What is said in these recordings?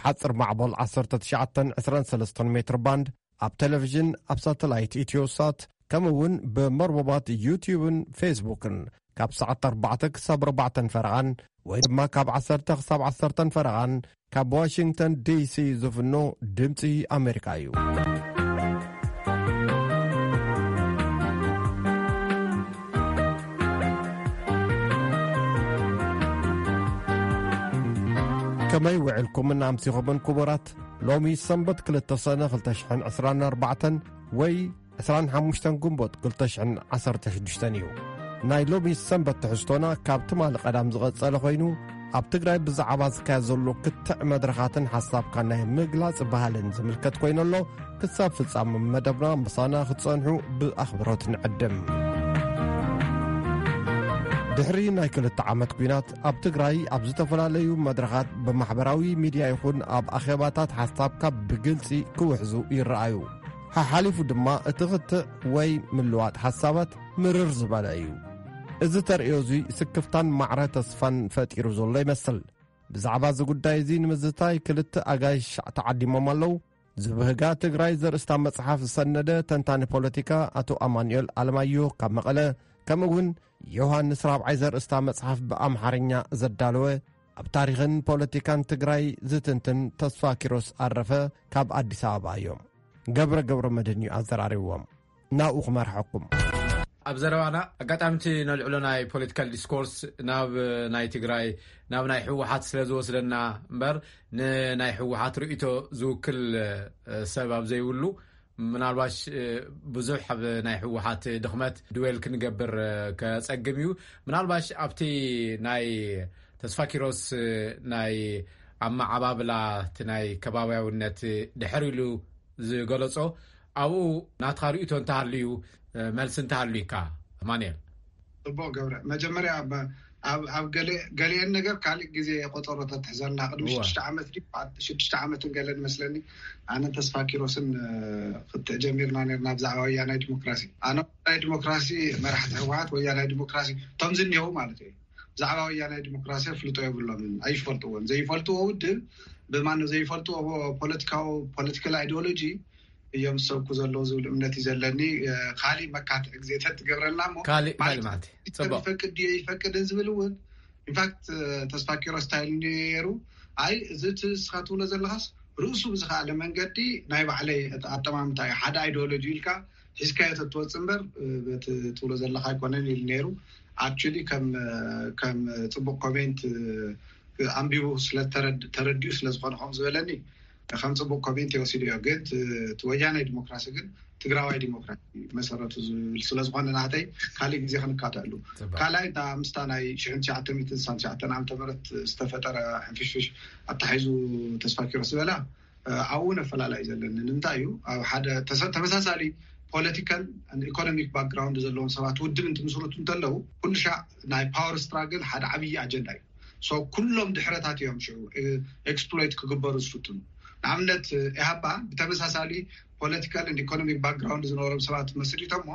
ሓጽር ማዕበል ዓሰርተ ትሽዓተ ዕስራን ሰለስተን ሜትር ባንድ፣ ኣብ ቴሌቪዥን፣ ኣብ ሳተላይት ኢትዮሳት፣ ከምኡ እውን ብመርበባት ዩቲዩብን ፌስቡክን ካብ ሰዓት ኣርባዕተ ክሳብ ኣርባዕተን ፈረቓን ወይ ድማ ካብ ዓሰርተ ክሳብ ዓሰርተን ፈረቓን ካብ ዋሽንግተን ዲሲ ዝፍኖ ድምፂ ኣሜሪካ እዩ። ከመይ ውዕልኩምን ኣምሲኹምን ክቡራት? ሎሚ ሰንበት ክልተ ሰነ ክልተ ሽሕን ዕስራን ኣርባዕተን ወይ ዕስራን ሓሙሽተን ግንቦት ክልተ ሽሕን ዓሰርተ ሽዱሽተን እዩ። ናይ ሎሚ ሰንበት ትሕዝቶና ካብ ትማሊ ቀዳም ዝቐጸለ ኮይኑ፣ ኣብ ትግራይ ብዛዕባ ዝካየድ ዘሎ ክትዕ መድረኻትን ሓሳብካ ናይ ምግላጽ ባህልን ዝምልከት ኮይኑ ኣሎ። ክሳብ ፍጻመ መደብና ምሳና ክትጸንሑ ብኣኽብሮት ንዕድም። ድሕሪ ናይ ክልተ ዓመት ኲናት ኣብ ትግራይ ኣብ ዝተፈላለዩ መድረኻት ብማሕበራዊ ሚድያ ይኹን ኣብ ኣኼባታት ሓሳብካ ብግልጺ ክውሕዙ ይረኣዩ። ሓሓሊፉ ድማ እቲ ክትዕ ወይ ምልዋጥ ሓሳባት ምርር ዝበለ እዩ። እዚ ተርእዮ እዚ ስክፍታን ማዕረ ተስፋን ፈጢሩ ዘሎ ይመስል። ብዛዕባ እዚ ጉዳይ እዚ ንምዝታይ ክልተ ኣጋይሽ ተዓዲሞም ኣለዉ። ዝብህጋ ትግራይ ዘርእስታ መጽሓፍ ዝሰነደ ተንታኒ ፖለቲካ ኣቶ ኣማኑኤል ኣለማዮ ካብ መቐለ፣ ከምኡ እውን ዮሃንስ ራብዓይ ዘርእስታ መጽሓፍ ብኣምሓርኛ ዘዳለወ ኣብ ታሪኽን ፖለቲካን ትግራይ ዝትንትን ተስፋ ኪሮስ ኣረፈ ካብ ኣዲስ ኣበባ እዮም። ገብረ ገብረ መድህን እዩ ኣዘራሪብዎም። ናብኡ ክመርሐኩም። ኣብ ዘረባና ኣጋጣሚ እቲ ነልዕሎ ናይ ፖለቲካል ዲስኮርስ ናብ ናይ ትግራይ፣ ናብ ናይ ህወሓት ስለ ዝወስደና እምበር፣ ንናይ ህወሓት ርእይቶ ዝውክል፣ እ፣ ሰብ ኣብ ዘይብሉ፣ ምናልባሽ፣ እ፣ ብዙሕ ኣብ ናይ ህወሓት ድኽመት ድዌል ክንገብር፣ እ፣ ከጸግም እዩ። ምናልባሽ ኣብቲ ናይ ተስፋ ኪሮስ፣ እ፣ ናይ ኣመዓባብላ እቲ ናይ ከባብያውነት ድሕር ኢሉ ዝገለጾ፣ ኣብኡ ናትካ ርእይቶ እንተሃልዩ፣ እ፣ መልሲ እንተሃልዩካ፣ ማንኤል። ጽቡቕ ገብረ። መጀመርያ ኣብ፣ ኣብ፣ ኣብ ገለ-፣ ገሊአን ነገር ካልእ ግዜ ቆጸሮ ተትሕዘልና። ቅድሚ እወ። ሽዱሽተ ዓመት ድዩ? ሽዱሽተ ዓመትን ገለን መስለኒ። ኣነ ተስፋ ኪሮስን፣ እ፣ ክትዕ ጀሚርና ኔርና ብዛዕባ ወያናይ ዲሞክራሲ። ኣነ ወያናይ ዲሞክራሲ፣ መራሕቲ ህወሓት ወያናይ ዲሞክራሲ፣ እቶም ዝኒሄው ማለት እዩ። ብዛዕባ ወያናይ ዲሞክራሲ ኣፍልጦ የብሎምን፣ ኣይፈልጥዎን። ዘይፈልጥዎ ውድብ፣ ብማን ዘይፈልጥዎ ፖለቲካዊ፣ ፖለቲካል ኣይዲዮሎጂ እዮም ዝሰብኩ ዘለዉ ዝብል እምነት እዩ ዘለኒ። እ፣ ካሊእ መካትዒ ግዜ ተትገብረልና እሞ፣ ካሊእ፣ ማለት፣ ካሊእ ማለት እዩ። ጽቡቕ። ይፈቅድ ድዮ ይፈቅድን ዝብል እውን፣ ኢንፋክት፣ እ፣ ተስፋ ኪሮስ እንታይ ኢሉ ነይሩ? ኣይ፣ እዚ እቲ ንስኻ ትብሎ ዘለኻስ ርእሱ ብዝኸኣለ መንገዲ ናይ ባዕለይ ኣጠማምታ እዩ። ሓደ ኣይዲዮሎጂ ኢልካ ሒዝካዮ ተትወጽእ እምበር፣ እ፣ በቲ ትብሎ ዘለኻ ኣይኮነን ኢሉ ነይሩ። ኣክቹሊ ከም፣ እ፣ ከም ጽቡቕ ኮሜንት፣ እ፣ ኣንቢቡ ስለ ተረድ-፣ ተረዲኡ ስለ ዝኾነ ከምኡ ዝበለኒ ከም ጽቡቕ ኮሜንት ይወሲድዮ። ግን ት-፣ እቲ ወያናይ ዲሞክራሲ ግን ትግራዋይ ዲሞክራሲ መሰረቱ ዝብል ስለ ዝኾነ ናተይ ካልእ ግዜ ክንካተዕሉ። ጽቡቕ። ካልኣይ እታ ምስታ ናይ ሽሕን ትሽዓተ ሚእትን ስሳን ትሽዓተን ዓመተ ምህረት ዝተፈጠረ ሕንፍሽፍሽ ኣተሓሒዙ ተስፋ ኪሮስ ዝበላ፣ እ፣ ኣብኡ እውን ኣፈላላይ ዘለኒ ንምንታይ እዩ? ኣብ ሓደ ተሰ-፣ ተመሳሳሊ ፖለቲካል ኢኮኖሚክ ባክግራውንድ ዘለዎም ሰባት ውድብ እንትምስርቱ እንተለዉ፣ ኩሉ ሻዕ ናይ ፓወር ስትራግል ሓደ ዓብዪ ኣጀንዳ እዩ። ሶ ኩሎም ድሕረታት እዮም ሽዑ፣ እ፣ ኤክስፕሎይት ክግበሩ ዝፍትኑ። ንኣብነት፣ እ፣ ኢሃፓ ብተመሳሳሊ ፖለቲካል ኢኮኖሚክ ባክግራውንድ ዝነበሮም ሰባት መስሪቶሞ፣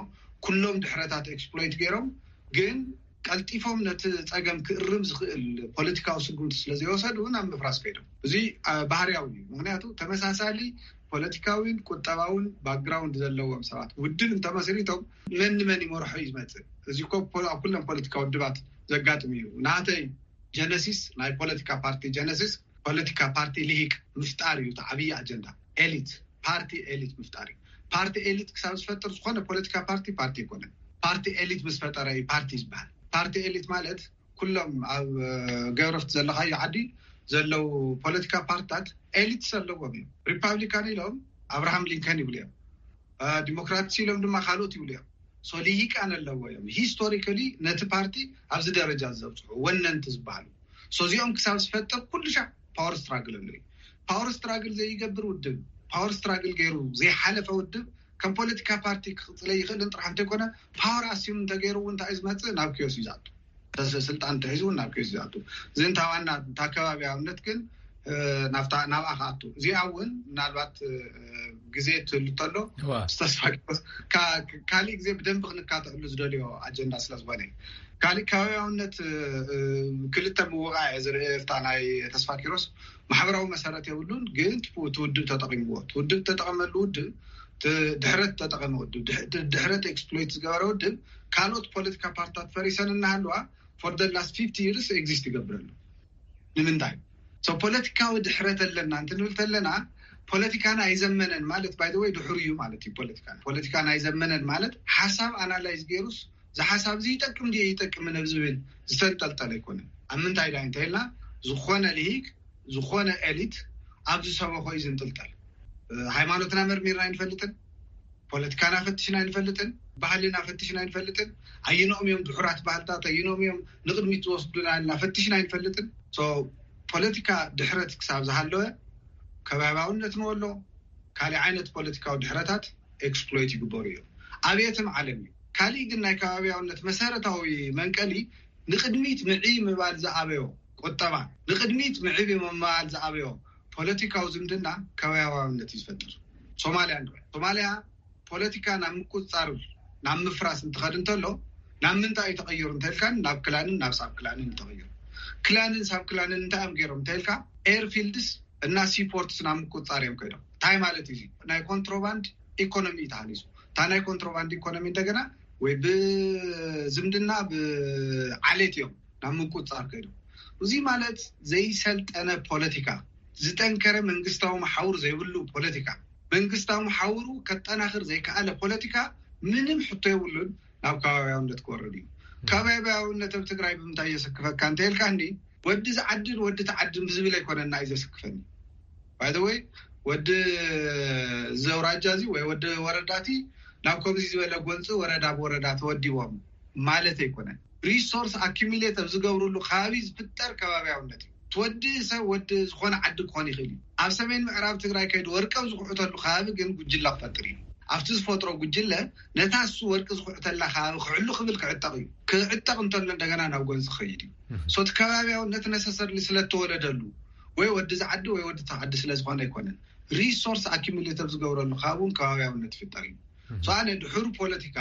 ኩሎም ድሕረታት ኤክስፕሎይት ገይሮም፣ ግን ቀልጢፎም ነቲ ጸገም ክእርም ዝኽእል ፖለቲካዊ ስጉምቲ ስለ ዘይወሰዱ ናብ ምፍራስ ከይዶም። እዚ፣ አ፣ ባህርያዊ እዩ። ምኽንያቱ ተመሳሳሊ ፖለቲካዊን ቁጠባውን ባክግራውንድ ዘለዎም ሰባት ውድብ እንተመስሪቶም መን ንመን ይመርሖ እዩ ዝመጽእ። እዚ እኮ ፖ-፣ ኣብ ኩለን ፖለቲካ ውድባት ዘጋጥም እዩ። ናተይ ጀነሲስ፣ ናይ ፖለቲካ ፓርቲ ጀነሲስ፣ ፖለቲካ ፓርቲ ልሂቅ ምፍጣር እዩ እቲ ዓብዪ ኣጀንዳ። ኤሊት፣ ፓርቲ ኤሊት ምፍጣር እዩ። ፓርቲ ኤሊት ክሳብ ዝፈጥር ዝኾነ ፖለቲካ ፓርቲ ፓርቲ ኣይኮነን። ፓርቲ ኤሊት ምስ ፈጠረ እዩ ፓርቲ ዝበሃል። ፓርቲ ኤሊት ማለት ኩሎም ኣብ፣ እ፣ ገረፍቲ ዘለኻዮ ዓዲ ዘለዉ ፖለቲካ ፓርትታት ኤሊትስ ኣለዎም እዮም። ሪፓብሊካን ኢሎም ኣብርሃም ሊንከን ይብሉ እዮም። እ፣ ዲሞክራትስ ኢሎም ድማ ካልኦት ይብሉ እዮም። ሶ ልሂቃን ኣለዎ እዮም። ሂስቶሪካሊ ነቲ ፓርቲ ኣብዚ ደረጃ ዘብፅሑ ወነንቲ ዝበሃሉ። ሶ እዚኦም ክሳብ ዝፈጥር ኩሉ ሻዕ ፓወር ስትራግል ኣሎ እዩ። ፓወር ስትራግል ዘይገብር ውድብ፣ ፓወር ስትራግል ገይሩ ዘይሓለፈ ውድብ ከም ፖለቲካ ፓርቲ ክቕፅለ ይኽእልን ጥራሕ እንተይኮነ፣ ፓወር ኣስዩም እንተገይሩ እውን እንታይ እዩ ዝመፅእ? ናብ ኪዮስ እዩ ዝኣቱ። ተስ-፣ ስልጣን እንተሒዙ እውን ናብ ኪዮስ እዩ ዝኣቱ። እዚ እንታ ዋና እንታ ከባቢ ኣብነት ግን፣ ናብታ ናብኣ ክኣቱ። እዚኣ እውን ምናልባት ግዜ ትህሉ ተሎ ተስፋ ካሊእ ግዜ ብደንቢ ክንካተዕሉ ዝደልዮ ኣጀንዳ ስለዝኮነ እዩ። ካሊእ ከባቢያውነት ክልተ ምውቃ እየ ዝርኢ። እታ ናይ ተስፋ ኪሮስ ማሕበራዊ መሰረት የብሉን፣ ግን ትውድብ ተጠቂምዎ። ትውድብ ተጠቀመሉ ውድብ ድሕረት ተጠቀመ ውድብ ድሕረት ኤክስፕሎይት ዝገበረ ውድብ ካልኦት ፖለቲካ ፓርትታት ፈሪሰን እናሃለዋ for the last fifty years exist ይገብረሉ። ንምንታይ? ፖለቲካዊ ድሕረት ኣለና እንትንብል ተለና ፖለቲካና ኣይዘመነን ማለት ባይ ወይ ድሕሩ እዩ ማለት እዩ። ፖለቲካ ፖለቲካና ኣይዘመነን ማለት ሓሳብ ኣናላይዝ ገይሩስ ዝሓሳብ እዚ ይጠቅም ድየ ይጠቅምን ኣብ ዝብል ዝተንጠልጠለ ኣይኮነን። ኣብ ምንታይ ዳ እንተልና ዝኾነ ልሂቅ ዝኾነ ኤሊት ኣብ ዝሰበኾ እዩ ዝንጥልጠል። ሃይማኖትና መርሚርና ኣይንፈልጥን፣ ፖለቲካና ፈትሽና ኣይንፈልጥን፣ ባህልና ፈትሽና ኣይንፈልጥን። ኣይኖም እዮም ድሑራት ባህልታት፣ ኣይኖም እዮም ንቅድሚት ዝወስዱና ኢልና ፈትሽና ኣይንፈልጥን። ፖለቲካ ድሕረት ክሳብ ዝሃለወ ከባቢያውነት ንወሎ ካልእ ዓይነት ፖለቲካዊ ድሕረታት ኤክስፕሎይት ይግበሩ እዮም ኣብ የትም ዓለም እዩ። ካሊእ ግን ናይ ከባቢያውነት መሰረታዊ መንቀሊ ንቅድሚት ምዒ ምባል ዝኣበዮ ቁጠባ፣ ንቅድሚት ምዒ ምባል ዝኣበዮ ፖለቲካዊ ዝምድና ከባቢያውነት እዩ ዝፈጥር። ሶማልያ ንርአ። ሶማልያ ፖለቲካ ናብ ምቁፅፃር ናብ ምፍራስ እንትኸድ እንተሎ ናብ ምንታይ እዩ ተቐይሩ እንተልካን ናብ ክላንን ናብ ሳብ ክላንን እዩ ተቐይሩ። ክላንን ሳብ ክላንን እንታይ እዮም ገይሮም እንተልካ ኤርፊልድስ እና ሲፖርትስ ናብ ምቁፅፃር እዮም ከይዶም። እንታይ ማለት እዩ? ናይ ኮንትሮባንድ ኢኮኖሚ እዩ ተሃኒፁ። እታ ናይ ኮንትሮባንድ ኢኮኖሚ እንደገና ወይ ብዝምድና ብዓሌት እዮም ናብ ምቁፅፃር ከይዶም። እዚ ማለት ዘይሰልጠነ ፖለቲካ፣ ዝጠንከረ መንግስታዊ መሓውር ዘይብሉ ፖለቲካ፣ መንግስታዊ መሓውሩ ከጠናኽር ዘይከኣለ ፖለቲካ ምንም ሕቶ የብሉን ናብ ከባቢያውነት ክወርድ እዩ። ከባቢያውነት ኣብ ትግራይ ብምንታይ የሰክፈካ እንተልካ እንዲ ወዲ ዝዓድን ወዲ ተዓድን ብዝብል ኣይኮነና እዩ ዘስክፈኒ። ባይዘወይ ወዲ ዘውራጃ እዚ ወይ ወዲ ወረዳቲ ናብ ከምዚ ዝበለ ጎንፂ ወረዳ ብወረዳ ተወዲቦም ማለት ኣይኮነን። ሪሶርስ ኣኪሚሌት ኣብ ዝገብርሉ ከባቢ ዝፍጠር ከባቢያውነት እዩ። ትወዲ ሰብ ወዲ ዝኾነ ዓዲ ክኾን ይኽእል እዩ። ኣብ ሰሜን ምዕራብ ትግራይ ከይዱ ወርቂ ኣብ ዝኩዕተሉ ከባቢ ግን ጉጅላ ክፈጥር እዩ። ኣብቲ ዝፈጥሮ ጉጅለ ነታ እሱ ወርቂ ዝኩዕተላ ከባቢ ክዕሉ ክብል ክዕጠቕ እዩ። ክዕጠቕ እንተሎ እንደገና ናብ ጎንፂ ክኸይድ እዩ። ሶ እቲ ከባቢያውነት ነሰሰርሊ ስለተወለደሉ ወይ ወዲ ዝዓዲ ወይ ወዲ ተዓዲ ስለዝኾነ ኣይኮነን። ሪሶርስ ኣኪሚሌት ኣብ ዝገብረሉ ከባቢ እውን ከባቢያውነት ይፍጠር እዩ። ሶ ኣነ ድሑር ፖለቲካ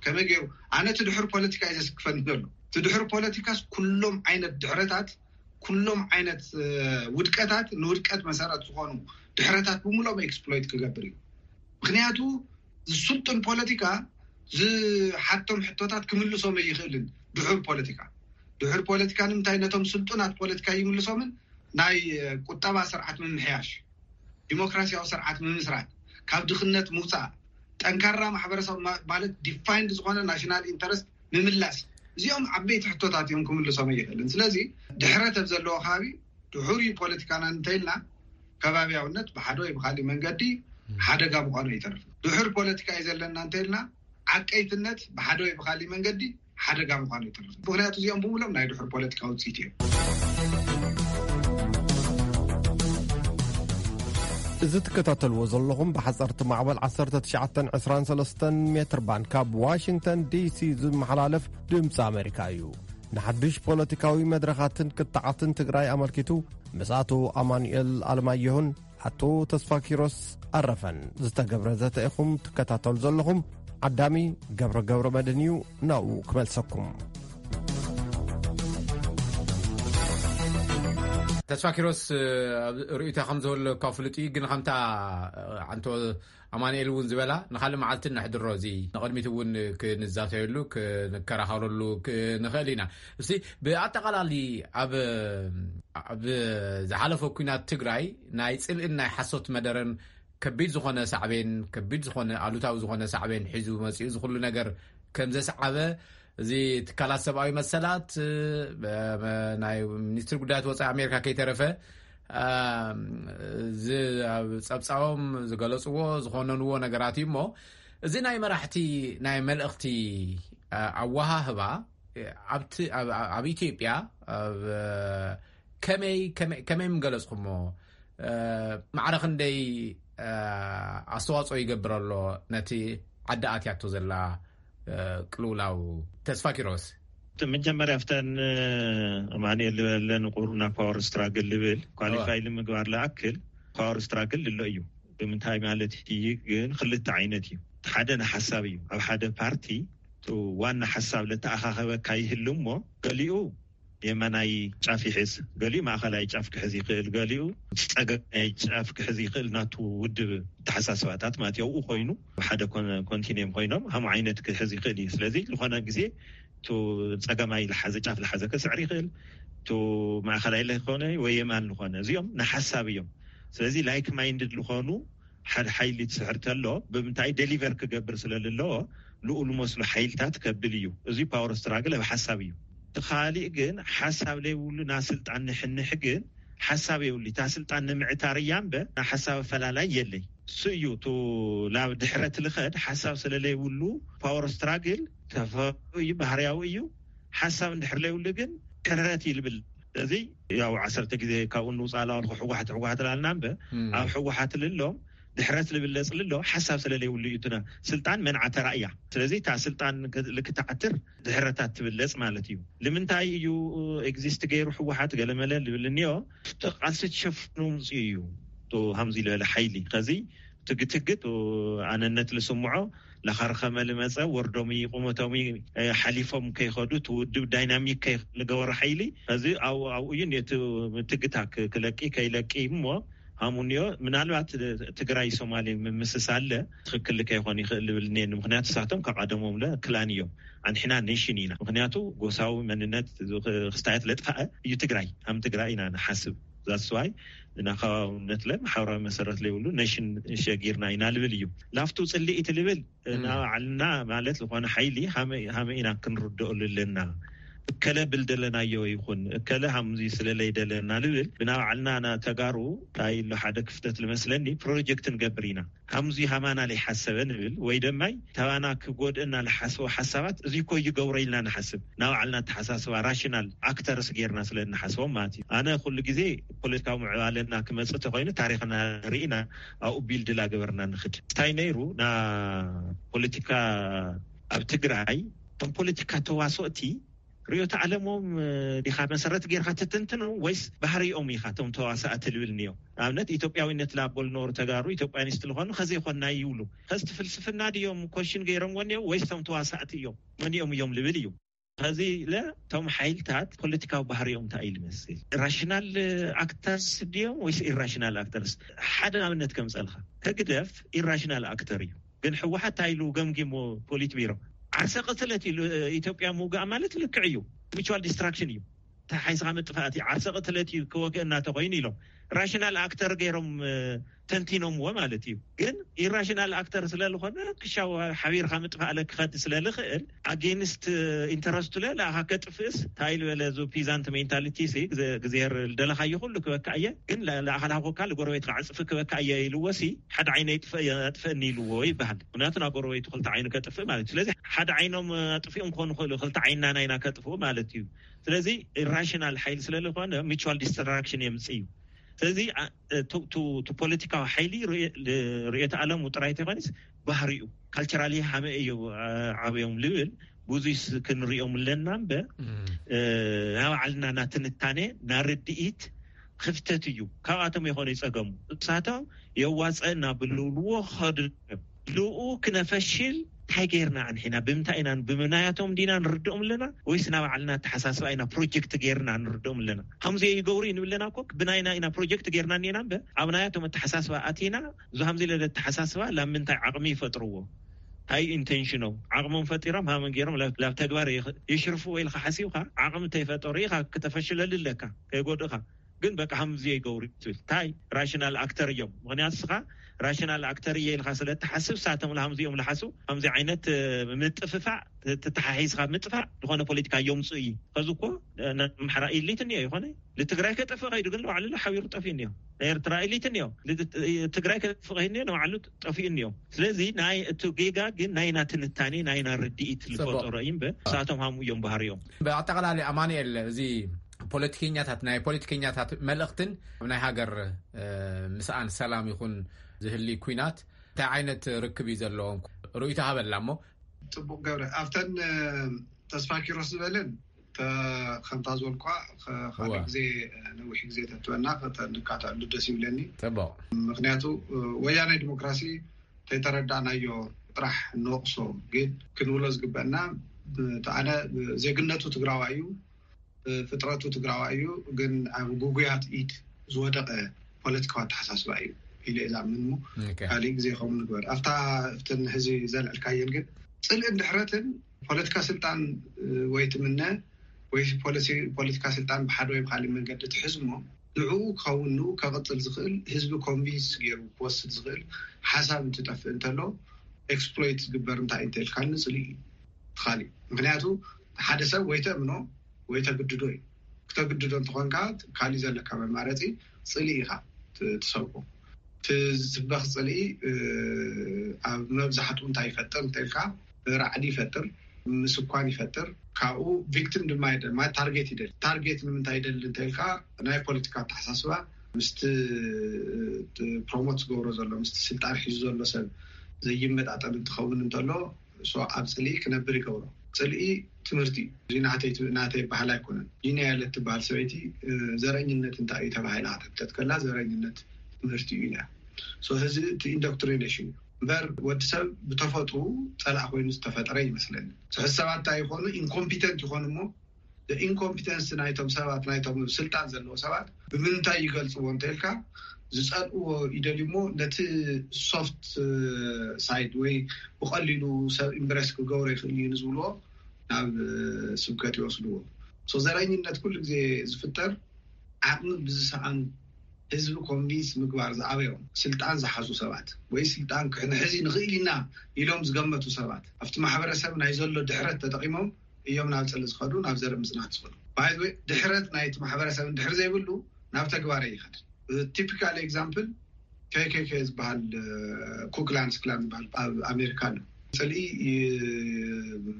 ከመይ ገይሩ ኣነ እቲ ድሑር ፖለቲካ እዩ ዘስክፈኒ ዘሎ። እቲ ድሑር ፖለቲካስ ኩሎም ዓይነት ድሕረታት ኩሎም ዓይነት ውድቀታት ንውድቀት መሰረት ዝኾኑ ድሕረታት ብምሎም ኤክስፕሎይት ክገብር እዩ። ምክንያቱ ዝስልጡን ፖለቲካ ዝሓቶም ሕቶታት ክምልሶም ኣይኽእልን። ድሑር ፖለቲካ ድሑር ፖለቲካ ንምንታይ ነቶም ስልጡናት ፖለቲካ ይምልሶምን ናይ ቁጠባ ስርዓት ምምሕያሽ፣ ዲሞክራሲያዊ ስርዓት ምምስራት፣ ካብ ድኽነት ምውፃእ፣ ጠንካራ ማሕበረሰብ ማለት ዲፋይንድ ዝኾነ ናሽናል ኢንተረስት ምምላስ፣ እዚኦም ዓበይቲ ሕቶታት እዮም ክምልሶም ኣይኽእልን። ስለዚ ድሕረት ኣብ ዘለዎ ከባቢ ድሑር እዩ ፖለቲካና እንተኢልና ከባቢያውነት ብሓደ ወይ ብካሊእ መንገዲ ሓደጋ ምዃኑ ኣይተርፍን። ድሑር ፖለቲካ እዩ ዘለና እንተኢልና ዓቀይትነት ብሓደ ወይ ብካሊእ መንገዲ ሓደጋ ምዃኑ ኣይተርፍን። ምክንያቱ እዚኦም ብምሎም ናይ ድሑር ፖለቲካ ውፅኢት እዮም። እዚ ትከታተልዎ ዘለኹም ብሓፀርቲ ማዕበል ዓሰርተ ትሽዓተ ዕስራን ሰለስተን ሜትር ባንድ ካብ ዋሽንግተን ዲሲ ዝመሓላለፍ ድምፂ ኣሜሪካ እዩ። ንሓድሽ ፖለቲካዊ መድረኻትን ክትዓትን ትግራይ ኣመልኪቱ ምስ ኣቶ ኣማኑኤል ኣለማየሁን ኣቶ ተስፋ ኪሮስ ኣረፈን ዝተገብረ ዘተ ኢኹም ትከታተሉ ዘለኹም። ዓዳሚ ገብረ ገብረ መድን እዩ፣ ናብኡ ክመልሰኩም። ተስፋ ኪሮስ፣ ርእይቶ ከም ዝህበለካ ፍሉጥ እዩ፣ ግን ከምታ ዓንቶ ኣማኑኤል እውን ዝበላ ንካልእ መዓልቲ ነሕድሮ፣ እዚ ንቕድሚት እውን ክንዛተየሉ ክንከራኸረሉ ንኽእል ኢና። እስቲ ብኣጠቓላሊ ኣብ ኣብ ዝሓለፈ ኩናት ትግራይ ናይ ፅልእን ናይ ሓሶት መደረን ከቢድ ዝኾነ ሳዕቤን፣ ከቢድ ዝኾነ ኣሉታዊ ዝኾነ ሳዕቤን ሒዙ መፂኡ፣ እዚ ኩሉ ነገር ከም ዘስዓበ እዚ ትካላት ሰብኣዊ መሰላት፣ ናይ ሚኒስትሪ ጉዳያት ወፃኢ ኣሜሪካ ከይተረፈ ኣብ ፀብፃቦም ዝገለፅዎ ዝኾነንዎ ነገራት እዩ። እሞ እዚ ናይ መራሕቲ ናይ መልእኽቲ ኣወሃህባ ኣብ ኢትዮጵያ ከመይ ምገለፅኩሞ? ማዕረ ክንደይ ኣስተዋፅኦ ይገብር ኣሎ ነቲ ዓዲ ኣትያቶ ዘላ ቅልውላው? ተስፋ ኪሮስ። መጀመርያ ኣብተን ኣማኑኤል ዝበለን ቁሩና ፓወር ስትራግል ልብል ኳሊፋይ ንምግባር ለኣክል፣ ፓወር ስትራግል ልሎ እዩ። ብምንታይ ማለት እዩ ግን? ክልተ ዓይነት እዩ። ሓደ ንሓሳብ እዩ። ኣብ ሓደ ፓርቲ ዋና ሓሳብ ለተኣኻኸበካ ይህሉ እሞ፣ ገሊኡ የመናይ ጫፍ ይሕዝ፣ ገሊኡ ማእኸላይ ጫፍ ክሕዝ ይኽእል፣ ገሊኡ ፀገማይ ጫፍ ክሕዝ ይኽእል። ናቱ ውድብ ተሓሳስባታት ማለት ኣብኡ ኮይኑ፣ ሓደ ኮንቲኒየም ኮይኖም ሃም ዓይነት ክሕዝ ይኽእል እዩ። ስለዚ ዝኾነ ግዜ ጸገማይ ዝሓዘ ጫፍ ዝሓዘ ክስዕር ይኽእል፣ ማእኸላይ ዝኾነ ወይ የማን ዝኾነ፣ እዚኦም ንሓሳብ እዮም። ስለዚ ላይክ ማይንድድ ዝኾኑ ሓደ ሓይሊ ትስዕር ተሎ፣ ብምንታይ ደሊቨር ክገብር ስለ ዘለዎ፣ ንኡ ዝመስሉ ሓይልታት ከብል እዩ። እዚ ፓወር ስትራግል ኣብ ሓሳብ እዩ። እቲ ካሊእ ግን ሓሳብ ለይብሉ ናብ ስልጣን ንሕንሕ ግን ሓሳብ የብሉ። እታ ስልጣን ንምዕታር እያ እምበር ናብ ሓሳብ ኣፈላላይ የለይ። እሱ እዩ እቲ ናብ ድሕረት ልኸድ ሓሳብ ስለ ለይብሉ ፓወር ስትራግል ተፈጥሮ እዩ፣ ባህርያዊ እዩ። ሓሳብ እንድሕር ለይብሉ ግን ድሕረት ይልብል። እዚ ያው ዓሰርተ ግዜ ካብኡ ንውፃእ ኣለዋልኩ ሕወሓት ሕወሓት ላልና እምበር ኣብ ሕወሓት ልሎም ድሕረት ልብለፅ ልሎ ሓሳብ ስለ ለይብሉ እዩ። እትና ስልጣን መንዓ ተራእያ። ስለዚ እታ ስልጣን ልክትዓትር ድሕረታት ትብለፅ ማለት እዩ። ንምንታይ እዩ ኤግዚስት ገይሩ ሕወሓት ገለመለ ልብል እኒኦ። ቃልሲ ትሸፍኑ ምፅኡ እዩ። ሃምዚ ዝበለ ሓይሊ ከዚ ትግትግት ኣነነት ልስምዖ፣ ላኻርኸመ ልመፀ፣ ወርዶሚ ቁመቶሚ ሓሊፎም ከይኸዱ፣ እቲ ውድብ ዳይናሚክ ከይልገበሩ ሓይሊ ከዚ ኣብኡ እዩ ነቲ ትግታ ክለቂ ከይለቂ እሞ ሃሙኒዮ። ምናልባት ትግራይ ሶማሌ ምምስስ ኣለ ትኽክል ከይኾን ይኽእል ልብል እኒአኒ። ምክንያቱ ሳቶም ካብ ቀደሞም ለ ክላን እዮም። ኣንሕና ኔሽን ኢና። ምክንያቱ ጎሳዊ መንነት ክስታያት ለጥፋእ እዩ ትግራይ። ሃም ትግራይ ኢና ንሓስብ። ዛስዋይ ንናኸባብነት ለ ማሕበራዊ መሰረት ለይብሉ ኔሽን ሸጊርና ኢና ልብል እዩ። ላፍቱ ፅልኢት ልብል ንባዕልና ማለት ዝኾነ ሓይሊ ሃመ ኢና ክንርድኦሉ ኣለና። እከለ ብል ደለናዮ ይኹን እከለ ሃምዚ ስለለይ ደለና ልብል ብናባዕልና ተጋሩ እንታይ ኣሎ ሓደ ክፍተት ልመስለኒ ፕሮጀክት ንገብር ኢና። ሃምዚ ሃማና ለይሓሰበ ንብል ወይ ደማይ ተባና ክጎድእና ልሓስቦ ሓሳባት እዚ እኮ ይገብሮ ኢልና ንሓስብ። ናባዕልና ተሓሳስባ ራሽናል ኣክተርስ ጌርና ስለ እንሓስቦም ማለት እዩ። ኣነ ኩሉ ግዜ ፖለቲካዊ ምዕባለና ክመፅእ ተኮይኑ ታሪክና ርኢና ኣብኡ ቢልድ ላገበርና ንክድ እንታይ ነይሩ ና ፖለቲካ ኣብ ትግራይ እቶም ፖለቲካ ተዋስኦቲ ርእዮተ ዓለሞም ዲኻ መሰረት ጌርካ ትትንትኖም ወይስ ባህሪኦም ኢኻ እቶም ተዋሳእቲ ልብል እኒኦ? ንኣብነት ኢትዮጵያዊነት ላቦል ኖሩ ተጋሩ ኢትዮጵያኒስት ልኾኑ ከዘይኮንና ይብሉ። ከዚ እቲ ፍልስፍና ድዮም ኮሽን ገይሮምዎ እኒኦ ወይስ እቶም ተዋሳእቲ እዮም? መኒኦም እዮም ልብል እዩ። ከዚ ኢለ እቶም ሓይልታት ፖለቲካዊ ባህሪኦም እንታይ እዩ ልመስል? ራሽናል ኣክተርስ ድዮም ወይስ ኢራሽናል ኣክተርስ? ሓደ ኣብነት ከምፀልካ ህግደፍ ኢራሽናል ኣክተር እዩ። ግን ሕወሓት እንታይ ኢሉ ገምጊሞ ፖሊት ቢሮ ዓርሰ ቅትለት ኢሉ ኢትዮጵያ ምውጋእ ማለት ልክዕ እዩ። ሚቹዋል ዲስትራክሽን እዩ። ተሓይስኻ ምጥፋእቲ ዓርሰ ቅትለት እዩ ክወግእ እናተኮይኑ ኢሎም ራሽናል ኣክተር ገይሮም ተንቲኖምዎ ማለት እዩ። ግን ኢራሽናል ኣክተር ስለዝኮነ ክሻው ሓቢርካ ምጥፋእ ለክኸድ ስለልኽእል ኣጌንስት ኢንተረስቱ ለ ለኣኻ ከጥፍእስ እንታይ ልበለ ዙ ፒዛንት ሜንታሊቲ ግዜር ልደለኻዮ ኩሉ ክበካ እየ። ግን ለኣኻ ላኮካ ልጎረቤት ክዓፅፊ ክበካ እየ ኢልዎ ሲ ሓደ ዓይነ ይጥፍእ የጥፍእኒ ኢልዎ ይበሃል። ምክንያቱ ናብ ጎረቤቱ ክልተ ዓይኑ ከጥፍእ ማለት እዩ። ስለዚ ሓደ ዓይኖም ኣጥፊኦም ክኾኑ ክእሉ ክልተ ዓይንና ናይና ከጥፍኡ ማለት እዩ። ስለዚ ኢራሽናል ሓይሊ ስለዝኮነ ሚቹዋል ዲስትራክሽን የምፅእ እዩ። ስለዚ ፖለቲካዊ ሓይሊ ርእዮተ ኣለሙ ጥራይ ተይኮነስ ባህሪኡ ካልቸራሊ ሃመ እዩ ዓብዮም ልብል ብዙ ክንሪኦም ኣለና እምበር ናባዕልና ናትንታኔ ናርድኢት ክፍተት እዩ። ካብኣቶም ይኮነ ይፀገሙ እሳቶም የዋፀና ብልብልዎ ክኸዱ ልኡ ክነፈሽል እንታይ ገይርና ኣንሒና ብምንታይ ኢና ብምናያቶም ዲና ንርድኦም ኣለና ወይስ ናባዕልና ኣተሓሳስባ ኢና ፕሮጀክት ገይርና ንርድኦም ኣለና? ከምዚ ይገብሩ እዩ ንብለና እኮ ብናይና ኢና ፕሮጀክት ገይርና እኒና እምበር ኣብ ናያቶም ኣተሓሳስባ ኣቲና እዚ ከምዚ ኢለ ኣተሓሳስባ ላብ ምንታይ ዓቕሚ ይፈጥርዎ? እንታይ ኢንቴንሽኖም ዓቕሞም ፈጢሮም ሃመን ገይሮም ላብ ተግባር የሽርፍዎ ኢልካ ሓሲብካ ዓቕሚ እንተይፈጠሩ ኢኻ ክተፈሽለሉ ኣለካ ከይጎድእካ ግን በቃ ከምዚ ይገብሩ ትብል እንታይ ራሽናል ኣክተር እዮም። ምክንያቱ ስኻ ራሽናል ኣክተር እየ ኢልካ ስለ እትሓስብ ሳቶም ከምዚ እዮም ልሓሱ ከምዚ ዓይነት ምጥፍፋእ ተተሓሒዝካ ምጥፋእ ዝኾነ ፖለቲካ የምፅኡ እዩ። ከዚ እኮ ኣምሓራ ኢሊት እኒኦ ይኮነ ንትግራይ ከጠፍእ ከይዱ ግን ንባዕሉ ሓቢሩ ጠፊኡ እኒኦ ናይ ኤርትራ ኢሊት እኒኦ ትግራይ ከጠፍእ ከይዱ እኒኦ ንባዕሉ ጠፊኡ እኒኦ። ስለዚ ናይ እቲ ጌጋ ግን ናይና ትንታኔ ናይና ርድኢት ዝፈጠሮ እዩ እምበር ሳቶም ሃሙ እዮም ባህሪኦም። ብኣጠቃላሊ ኣማኑኤል እዚ ፖለቲከኛታት ናይ ፖለቲከኛታት መልእክትን ኣብ ናይ ሃገር ምስኣን ሰላም ይኹን ዝህሊ ኩናት እንታይ ዓይነት ርክብ እዩ ዘለዎም ርእይቶ ሃበላ እሞ። ፅቡቅ ገብረ ኣብተን ተስፋ ኪሮስ ዝበለን ከምታ ዝበልኳ ካልእ ግዜ ነዊሕ ግዜ ተትበና ከተንካተዕሉ ደስ ይብለኒ። ምክንያቱ ወያናይ ዲሞክራሲ ተይተረዳእናዮ ጥራሕ ንወቕሶ፣ ግን ክንብሎ ዝግበአና፣ ኣነ ዜግነቱ ትግራዋ እዩ፣ ፍጥረቱ ትግራዋ እዩ፣ ግን ኣብ ጉጉያት ኢድ ዝወደቀ ፖለቲካዊ ኣተሓሳስባ እዩ ኢለ እየ ዝኣምን። ካልእ ግዜ ከምኡ ንግበር። ኣብታ እብትን ሕዚ ዘልዕልካየን ግን ጽልእን ድሕረትን ፖለቲካ ስልጣን ወይ ትምነ ወይ ፖለቲካ ስልጣን ብሓደ ወይ ብካሊእ መንገዲ ትሕዝሞ ንዕኡ ክኸውን ንኡ ከቕጽል ዝኽእል ህዝቢ ኮንቪንስ ገይሩ ክወስድ ዝኽእል ሓሳብ እንትጠፍእ እንተሎ ኤክስፕሎይት ዝግበር እንታይ እንተልካኒ ጽልኢ እዩ። ትኻሊ ምክንያቱ ሓደ ሰብ ወይ ተእምኖ ወይ ተግድዶ እዩ። ክተግድዶ እንተኾንካ ካሊእ ዘለካ መማረፂ ጽልኢ ኢኻ ትሰብኮ። ትስበኽ ጽልኢ ኣብ መብዛሕትኡ እንታይ ይፈጥር እንተልካ ራዕዲ ይፈጥር፣ ምስኳን ይፈጥር። ካብኡ ቪክቲም ድማ ይደል ማለት ታርጌት ይደል። ታርጌት ንምንታይ ይደል እንተልካ ናይ ፖለቲካ ኣተሓሳስባ ምስቲ ፕሮሞት ዝገብሮ ዘሎ ምስቲ ስልጣን ሒዙ ዘሎ ሰብ ዘይመጣጠን እንትኸውን እንተሎ ኣብ ጽልኢ ክነብር ይገብሮ። ጽልኢ ትምህርቲ እዩ። እዚ ናተይ ናተይ ባህል ኣይኮነን። ጂንያ ያለት ትበሃል ሰበይቲ ዘረኝነት እንታይ እዩ ተባሂላ ከተብተት ከላ ዘረኝነት ትምህርቲ እዩ ኢላ። ሕዚ እቲ ኢንዶክትሪኔሽን እዩ እምበር ወዲ ሰብ ብተፈጥሩ ጸላእ ኮይኑ ዝተፈጠረ ይመስለኒ። ሕዚ ሰባት እንታይ ይኾኑ? ኢንኮምፒተንት ይኾኑ እሞ ኢንኮምፒተንስ ናይቶም ሰባት ናይቶም ስልጣን ዘለዎ ሰባት ብምንታይ ይገልፅዎ እንተልካ ዝፀልእዎ ይደልዩ እሞ ነቲ ሶፍት ሳይድ ወይ ብቐሊሉ ሰብ ኢምብረስ ክገብሮ ይኽእል እዩ ንዝብልዎ ናብ ስብከት ይወስድዎ። ዘረኝነት ኩሉ ግዜ ዝፍጠር ዓቕሚ ብዝሰኣኑ ህዝቢ ኮንቪንስ ምግባር ዝኣበዮም ስልጣን ዝሓዙ ሰባት ወይ ስልጣን ክሕንሕዚ ንኽእል ኢና ኢሎም ዝገመቱ ሰባት ኣብቲ ማሕበረሰብ ናይ ዘሎ ድሕረት ተጠቂሞም እዮም ናብ ጽልኢ ዝኸዱ ናብ ዘርኢ ምጽናት ዝኸዱ። ባይዘወይ ድሕረት ናይቲ ማሕበረሰብ እንድሕር ዘይብሉ ናብ ተግባር ይኸድ። ቲፒካል ኤግዛምፕል ኬኬኬ ዝበሃል ኩክላንስ ክላን ዝበሃል ኣብ ኣሜሪካ ኣሎ። ጽልኢ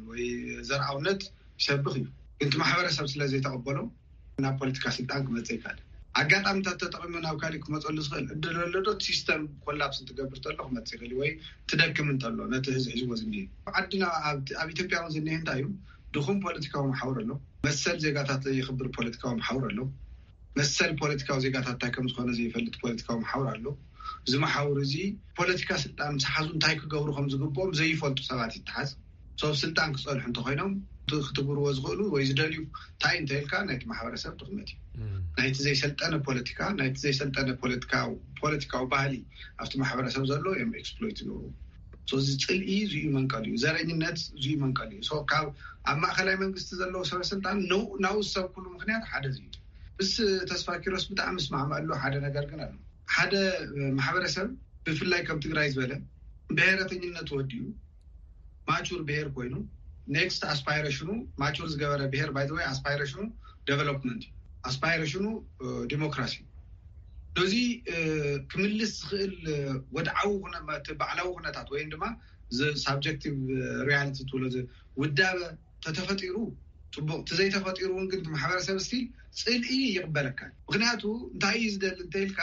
ወይ ዘርኣውነት ይሰብኽ እዩ፣ ግን እቲ ማሕበረሰብ ስለ ዘይተቐበሎ ናብ ፖለቲካ ስልጣን ክመጽእ ይካል። ኣጋጣሚታት ተጠቂሙ ናብ ካሊእ ክመፀሉ ዝኽእል እድል ኣሎ ዶ? ሲስተም ኮላፕስ እንትገብር ተሎ ክመፅእ ይኽእል ወይ ትደክም እንተሎ ነቲ ህዝቢ ሒዝዎ ዝኒሀ ዓድና ኣብ ኢትዮጵያ እውን ዝኒሀ እንታይ እዩ? ድኹም ፖለቲካዊ መሓውር ኣሎ። መሰል ዜጋታት ዘይኽብር ፖለቲካዊ መሓውር ኣሎ። መሰል ፖለቲካዊ ዜጋታት እንታይ ከም ዝኾነ ዘይፈልጥ ፖለቲካዊ መሓውር ኣሎ። እዚ መሓውር እዚ ፖለቲካ ስልጣን ምስ ሓዙ እንታይ ክገብሩ ከም ዝግብኦም ዘይፈልጡ ሰባት ይተሓዝ። ሰብ ስልጣን ክፀንሑ እንተኮይኖም ክትግብርዎ ዝኽእሉ ወይ ዝደልዩ እንታይ እንተልካ ናይቲ ማሕበረሰብ ድኽመት እዩ። ናይቲ ዘይሰልጠነ ፖለቲካ ናይቲ ዘይሰልጠነ ፖለቲካዊ ባህሊ ኣብቲ ማሕበረሰብ ዘሎ እዮም ኤክስፕሎይት ዝገብሩ። እዚ ፅልኢ ዝዩ መንቀል እዩ። ዘረኝነት ዝዩ መንቀል እዩ። ካብ ኣብ ማእከላይ መንግስቲ ዘለዉ ሰበ ስልጣን ናብኡ ዝሰብኩሉ ምክንያት ሓደ እዩ። ምስ ተስፋ ኪሮስ ብጣዕሚ እስማዕመኣሉ ሓደ ነገር ግን ኣሎ። ሓደ ማሕበረሰብ ብፍላይ ከም ትግራይ ዝበለ ብሄረተኝነት ወዲኡ ማቹር ብሄር ኮይኑ ኔክስት ኣስፓይሬሽኑ ማቹር ዝገበረ ብሄር ባይ ወይ ኣስፓይሬሽኑ ዴቨሎፕመንት ኣስፓይሬሽኑ ዲሞክራሲ እዚ ክምልስ ዝኽእል ወድዓዊ ባዕላዊ ኩነታት ወይም ድማ ሳብጀክቲቭ ሪያሊቲ ትብሎ ውዳበ ተተፈጢሩ ፅቡቅ፣ እቲ ዘይተፈጢሩ እውን ግን ማሕበረሰብ ስቲል ፅልኢ ይቅበለካ። ምክንያቱ እንታይ እዩ ዝደሊ እንተኢልካ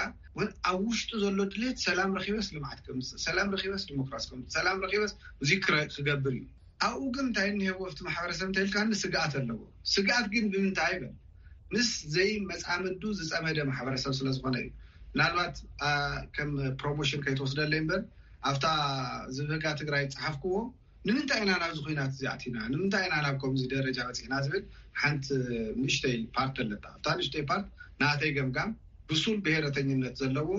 ኣብ ውሽጡ ዘሎ ድሌት ሰላም ረኪበስ ልምዓት ከምፅእ፣ ሰላም ረኪበስ ዲሞክራሲ ከምፅእ፣ ሰላም ረኪበስ እዚ ክገብር እዩ። ኣብኡ ግን እንታይ እኒሄዎ ኣብቲ ማሕበረሰብ እንተኢልካ ስግኣት ኣለዎ። ስግኣት ግን ብምንታይ ይበል ምስ ዘይመፃምዱ ዝፀመደ ማሕበረሰብ ስለዝኮነ እዩ። ምናልባት ከም ፕሮሞሽን ከይትወስደለይ እምበር ኣብታ ዝብህጋ ትግራይ ዝፀሓፍክዎ ንምንታይ ኢና ናብዚ ኩናት እዚ ኣቲና? ንምንታይ ኢና ናብ ከምዚ ደረጃ በፂሕና ዝብል ሓንቲ ንእሽተይ ፓርት ኣለታ። ኣብታ ንእሽተይ ፓርት ናተይ ገምጋም ብሱል ብሄረተኝነት ዘለዎ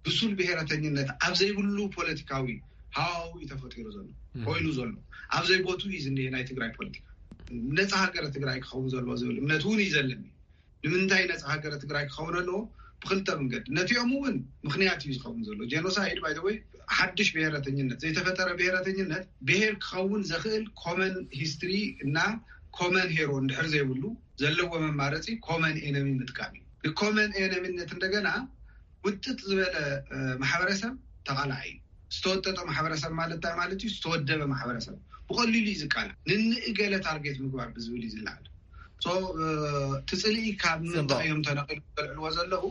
ብሱል ብሄረተኝነት ኣብ ዘይብሉ ፖለቲካዊ ሃዋዊ እዩ ተፈጢሩ ዘሎ ኮይኑ ዘሎ ኣብ ዘይቦቱ እዩ ዝኒሄ ናይ ትግራይ ፖለቲካ። ነፃ ሃገረ ትግራይ ክኸውን ዘለዎ ዝብል እምነት እውን እዩ ዘለኒ። ንምንታይ ነፃ ሃገረ ትግራይ ክኸውን ኣለዎ? ብክልተ መንገዲ ነቲኦም እውን ምክንያት እዩ ዝኸውን ዘሎ ጀኖሳይድ ባይ ወይ ሓድሽ ብሄረተኝነት ዘይተፈጠረ ብሄረተኝነት ብሄር ክኸውን ዘኽእል ኮመን ሂስትሪ እና ኮመን ሄሮ እንድሕር ዘይብሉ ዘለዎ መማረፂ ኮመን ኤነሚ ምጥቃም እዩ። ኮመን ኤነሚነት እንደገና ውጥጥ ዝበለ ማሕበረሰብ ተቓላዒ እዩ። ዝተወጠጠ ማሕበረሰብ ማለት እንታይ ማለት እዩ? ዝተወደበ ማሕበረሰብ ብቐሊሉ እዩ ዝቃላዕ። ንንእገለ ታርጌት ምግባር ብዝብል እዩ ዝለዓል። ትፅልኢ ካብ ምንታይ እዮም ተነቂሉ ዘልዕልዎ ዘለዉ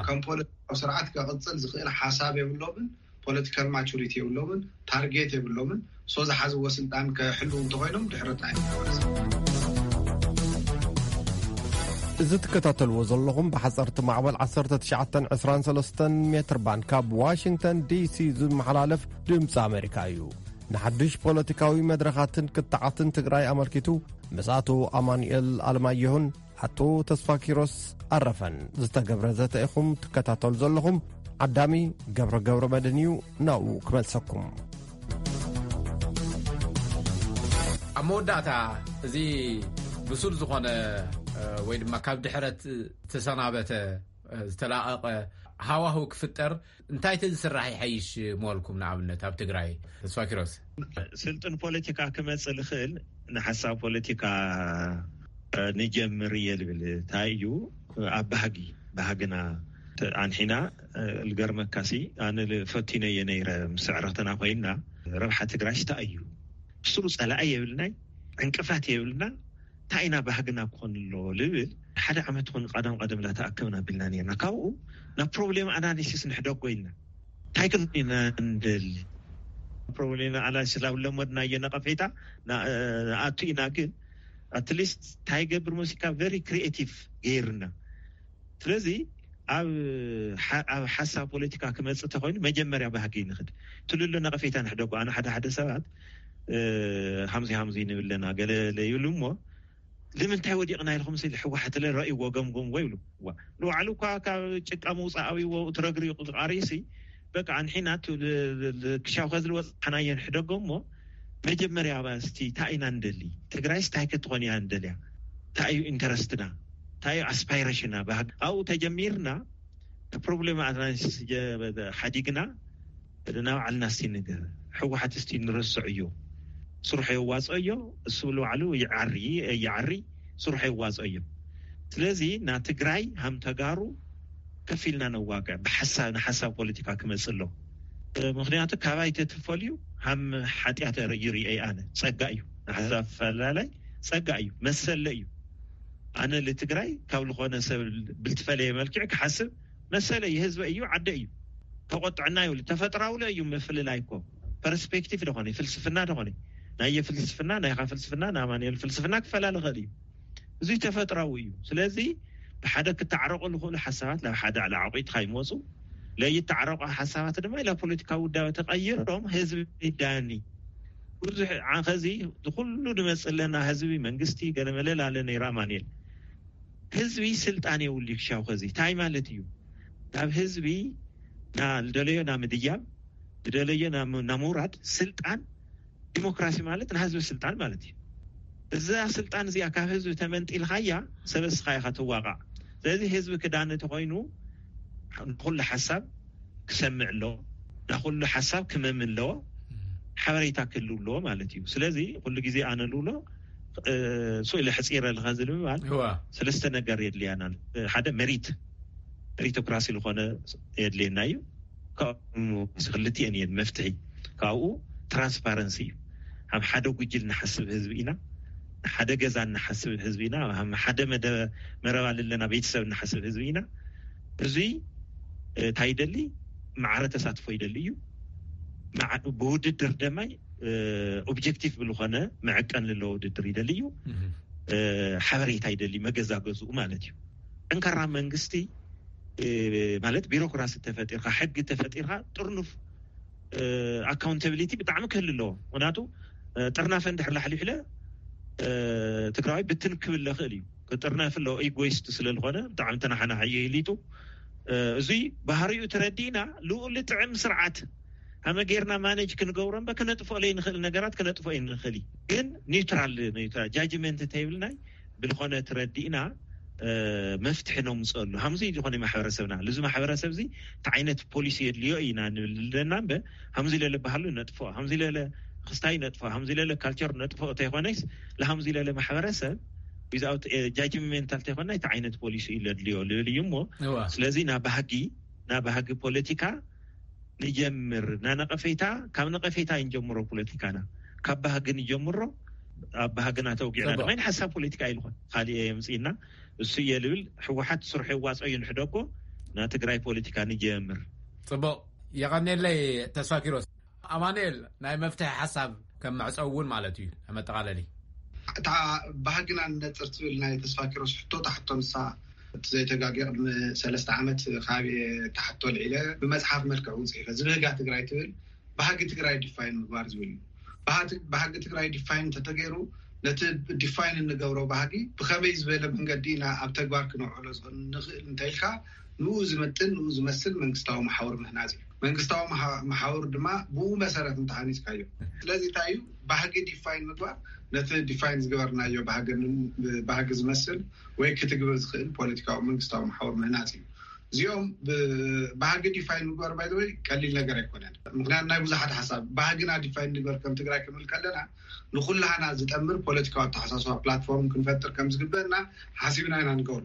ከም ፖለቲካዊ ስርዓት ከቅፅል ዝኽእል ሓሳብ የብሎምን። ፖለቲካል ማቹሪቲ የብሎምን፣ ታርጌት የብሎምን። ሶ ዝሓዝዎ ስልጣን ከሕልው እንተኾይኖም ድሕረታ እዩ። እዚ ትከታተልዎ ዘለኹም ብሓፀርቲ ማዕበል ዓሰርተ ትሽዓተ ዕስራን ሰለስተን ሜትር ባንድ ካብ ዋሽንግተን ዲሲ ዝመሓላለፍ ድምፂ ኣሜሪካ እዩ። ንሓድሽ ፖለቲካዊ መድረኻትን ክትዓትን ትግራይ ኣመልኪቱ ምስ ኣቶ ኣማኑኤል ኣለማየሁን ኣቶ ተስፋ ኪሮስ ኣረፈን ዝተገብረ ዘተ ኢኹም ትከታተሉ ዘለኹም። ዓዳሚ ገብረ ገብረ መድን እዩ፣ ናብኡ ክመልሰኩም። ኣብ መወዳእታ፣ እዚ ብሱል ዝኾነ፣ እ፣ ወይ ድማ ካብ ድሕረት ተሰናበተ፣ እ፣ ዝተላቐቐ ሃዋህው ክፍጠር እንታይ ተዝስራሕ ይሐይሽ ምበልኩም? ንኣብነት ኣብ ትግራይ፣ ተስፋ ኪሮስ። ስልጡን ፖለቲካ ክመጽእ ዝኽእል ንሓሳብ ፖለቲካ፣ እ፣ ንጀምር እየ ዝብል። እንታይ እዩ? ኣብ ባህጊ፣ ባህግና ኣንሒና፣ እ፣ ልገርመካሲ፣ ኣነ ል-፣ ፈቲነ እየ ነይረ፣ ምስ ዕረኽትና ኮይንና፣ ረብሓ ትግራይ እንታይ እዩ? ብስሩ ጸላኢ የብልናይ፣ ዕንቅፋት የብልና፣ እንታይ ኢና ባህግና ክኾን ኣለዎ ልብል፣ ሓደ ዓመት ኾን ቀደም ቀደም ላ ተኣከብና ቢልና ነርና። ካብኡ ናብ ፕሮብሌም ኣናሊሲስ ንሕደጎ ኢልና። እንታይ ክንኮን ኢና እንደሊ? ፕሮብሌም ኣናሊሲስ ላብ ለመድናዮ ነቐፌታ ና-፣ ንኣቱ ኢና፣ ግን ኣትሊስት እንታይ ገብር መሲካ ቨሪ ክሪኤቲቭ ገይርና። ስለዚ ኣብ ሓ-፣ ኣብ ሓሳብ ፖለቲካ ክመጽእ ተኾይኑ መጀመርያ ባህጊ ንኽድ። ትልሉ ነቐፌታ ንሕደጎ። ኣነ ሓደ ሓደ ሰባት፣ እ፣ ሃምዚ ሃምዚ ንብለና ገለ ለይብሉ እሞ፣ ንምንታይ ወዲቕና ኢልኩም ስል ሕወሓት ለ ረእይዎ ገምጉምዎ ይብሉ። ዋ፣ ንባዕሉ እኳ ካብ ጭቃ ምውፃእ ኣብይዎ እቲ ረግሪቑ ዝቃርይሲ፣ በቃ ኣንሒና ቱ-፣ ል-፣ ል-፣ ል-፣ ክሻው ከዝልወፅ ሓናዮ ንሕደጎ እሞ፣ መጀመርያ ባ እስቲ እንታይ ኢና ንደሊ? ትግራይስ እንታይ ክትኾን እያ ንደልያ? እንታይ እዩ ኢንተረስትና? እንታይ እዩ ኣስፓይሬሽና? ባህግ-፣ ኣብኡ ተጀሚርና፣ እቲ ፕሮብሌም ኣናሊሲስ ጀ-፣ ሓዲግና ናብ ዓልና እስቲ ንገ-፣ ህወሓት እስቲ ንረስዖዮ። ስርሑ የዋፅኦዮ፣ እሱ ንባዕሉ ይዓሪ፣ ይዓሪ፣ ስርሑ የዋፅኦዮ። ስለዚ ና ትግራይ ሃም ተጋሩ ከፊልና ነዋግዕ፣ ብሓሳብ፣ ንሓሳብ ፖለቲካ ክመፅእ ኣሎ። ምኽንያቱ ካባይ ተትፈልዩ ሃም ሓጢኣት ይርኢ ኣነ። ጸጋ እዩ። ንሓሳብ ፈላላይ ጸጋ እዩ። መሰለ እዩ። ኣነ ልትግራይ ካብ ልኾነ ሰብ ብልትፈለየ መልክዕ ክሓስብ መሰለ እዩ። ህዝበ እዩ፣ ዓደ እዩ። ተቆጥዕና ይብሉ። ተፈጥራዊ ለ እዩ ምፍልላይ እኮ። ፐርስፔክቲቭ ደኾነ፣ ፍልስፍና ደኾነ። ናየ ፍልስፍና፣ ናይኻ ፍልስፍና፣ ንኣማኑኤል ፍልስፍና ክፈላለ ይኽእል እዩ። እዚ ተፈጥራዊ እዩ። ስለዚ ብሓደ ክተዓረቑ ዝኽእሉ ሓሳባት ናብ ሓደ ዓለ ዓቑትካ ይመፁ። ለይተዓረቑ ሓሳባት ድማ ኢላ ፖለቲካዊ ውዳበ ተቐይሮም ህዝቢ ይዳኒ። ብዙሕ ዓ-፣ ኸዚ ዝኹሉ ንመፅእ ኣለና ህዝቢ መንግስቲ ገለ መለል ኣለ ነይራ ኣማኑኤል። ህዝቢ ስልጣን የብሉ ይክሻው ኸዚ። እንታይ ማለት እዩ? ናብ ህዝቢ ና-፣ ዝደለዮ ና ምድያብ፣ ዝደለዮ ና ም-፣ ና ምውራድ ስልጣን ዲሞክራሲ ማለት ንህዝቢ ስልጣን ማለት እዩ። እዛ ስልጣን እዚኣ ካብ ህዝቢ ተመንጢልካያ ሰበስኻ ኢኻ ትዋቃዕ። ስለዚ ህዝቢ ክዳነ ተኾይኑ ንኹሉ ሓሳብ ክሰምዕ ኣለዎ፣ ንኹሉ ሓሳብ ክመምን ኣለዎ፣ ሓበሬታ ክህልው ኣለዎ ማለት እዩ። ስለዚ ኩሉ ግዜ ኣነ ልብሎ፣ እ፣ ስኡ ኢለ ሕፂረ ኣለኻ ዝብል ምባል እዋ። ሰለስተ ነገር የድልያና። ሓደ መሪት፣ ሜሪቶክራሲ ዝኾነ የድልየና እዩ። ካብኡ ክልቲኤን እየን መፍትሒ። ካብኡ ትራንስፓረንሲ እዩ። ከም ሓደ ጉጅል ንሓስብ ህዝቢ ኢና፣ ንሓደ ገዛ ንሓስብ ህዝቢ ኢና፣ ከም ሓደ መደ-፣ መረብ ኣለና ቤተሰብ ንሓስብ ህዝቢ ኢና። እዙይ፣ እ፣ እንታይ ይደሊ? ማዕረ ተሳትፎ ይደሊ እዩ። ማዕ-፣ ብውድድር ደማይ፣ እ፣ ኦብጀክቲቭ ብልኾነ መዕቀን ዘለዎ ውድድር ይደሊ እዩ። እህ። እ፣ ሓበሬታ ይደሊ፣ መገዛገዝኡ ማለት እዩ። ጠንካራ መንግስቲ፣ እ፣ ማለት ቢሮክራሲ ተፈጢርካ፣ ሕጊ ተፈጢርካ፣ ጥርኑፍ፣ እ፣ ኣካውንታቢሊቲ ብጣዕሚ ክህሉ ኣለዎ። ምክንያቱ፣ እ፣ ጥርናፈ እንድሕር ላሕሊሕለ፣ እ፣ ትግራዋይ ብትን ክብል ይኽእል እዩ። ክጥርነፍ ኣለዎ፣ ኢጎይስት ስለ ዝኾነ፣ ብጣዕሚ ተናሓናሒ እዩ ኢሊቱ። እ፣ እዙይ ባህሪኡ ተረዲእና፣ ልኡል ጥዕም ስርዓት ሃመ ጌርና ማኔጅ ክንገብሮ እምበር፣ ክነጥፍኦ ለይንኽእል ነገራት ክነጥፍኦ ይንኽእል እዩ። ግን ኒውትራል፣ ኒውትራል ጃጅመንት ተይብልናይ፣ ብልኾነ ትረዲእና፣ እ፣ መፍትሒ ነምፅአሉ። ሃምዚ ዝኾነ ማሕበረሰብና፣ ልዚ ማሕበረሰብ እዚ እንታይ ዓይነት ፖሊሲ የድልዮ ኢና ንብል ዘለና እምበር፣ ሃምዚ ለለ ባህሉ ነጥፍኦ፣ ሃምዚ ለለ ክስታይ ነጥፍኦ፣ ሃምዚ ለለ ካልቸር ነጥፍኦ ተይኮነይስ፣ ለሃምዚ ለለ ማሕበረሰብ ዊዝኣውት ጃጅመንታል ተይኮና፣ እንታይ ዓይነት ፖሊሲ እዩ ለድልዮ ልብል እዩ እሞ፣ እዋ። ስለዚ ናብ ባህጊ፣ ናብ ባህጊ ፖለቲካ ንጀምር። ና ነቐፌታ፣ ካብ ነቐፌታ ይንጀምሮ ፖለቲካና። ካብ ባህጊ ንጀምሮ፣ ኣብ ባህግና ተውጊዕና ጽቡቅ። ድማ ሓሳብ ፖለቲካ ኣይልኾን። ካሊእ የምጽእና፣ እሱ እየ ልብል፣ ህወሓት ስርሑ የዋጽኦ እዩ ንሕደጎ፣ ና ትግራይ ፖለቲካ ንጀምር። ጽቡቅ። የቐኔለይ ተስፋ ኪሮስ። ኣማኑኤል፣ ናይ መፍትሒ ሓሳብ ከም መዕጸዊ እውን ማለት እዩ፣ መጠቓለሊ። እታ ባህግና ንነጽር ትብል ናይ ተስፋ ኪሮስ ሕቶ፣ እታ ሕቶ ንሳ፣ እቲ ዘይተጋግየ ቅድሚ ሰለስተ ዓመት ካብ ተሓቶ ልዒለ ብመጽሓፍ መልክዕ እውን ጽሒፈ። ዝብህጋ ትግራይ ትብል፣ ባህጊ ትግራይ ዲፋይን ምግባር ዝብል እዩ። ባህቲ-፣ ባህጊ ትግራይ ዲፋይን እንተተገይሩ፣ ነቲ ዲፋይን እንገብሮ ባህጊ ብኸመይ ዝበለ መንገዲ ኢና ኣብ ተግባር ክነውዕሎ ዝኽእል፣ ንኽእል እንተኢልካ፣ ንኡ ዝምጥን፣ ንኡ ዝመስል መንግስታዊ መሓውር ምህናጽ እዩ። መንግስታዊ መሓ-፣ መሓውር ድማ ብኡ መሰረት እንተሃኒጽካዮ። ስለዚ እንታይ እዩ? ባህጊ ዲፋይን ምግባር፣ ነቲ ዲፋይን ዝገበርናዮ ባህጊ ን-፣ ባህጊ ዝመስል ወይ ክትግብር ዝኽእል ፖለቲካዊ መንግስታዊ መሓውር ምህናጽ እዩ። እዚኦም ብ-፣ ባህጊ ዲፋይን ምግባር፣ ባይ ዘ ወይ፣ ቀሊል ነገር ኣይኮነን። ምኽንያቱ ናይ ብዙሓት ሓሳብ፣ ባህግና ዲፋይን ንግበር ከም ትግራይ ክንብል ከለና፣ ንኹላህና ዝጠምር ፖለቲካዊ ኣተሓሳስባ ፕላትፎርም ክንፈጥር ከም ዝግበእና ሓሲብና ኢና ንገብሮ።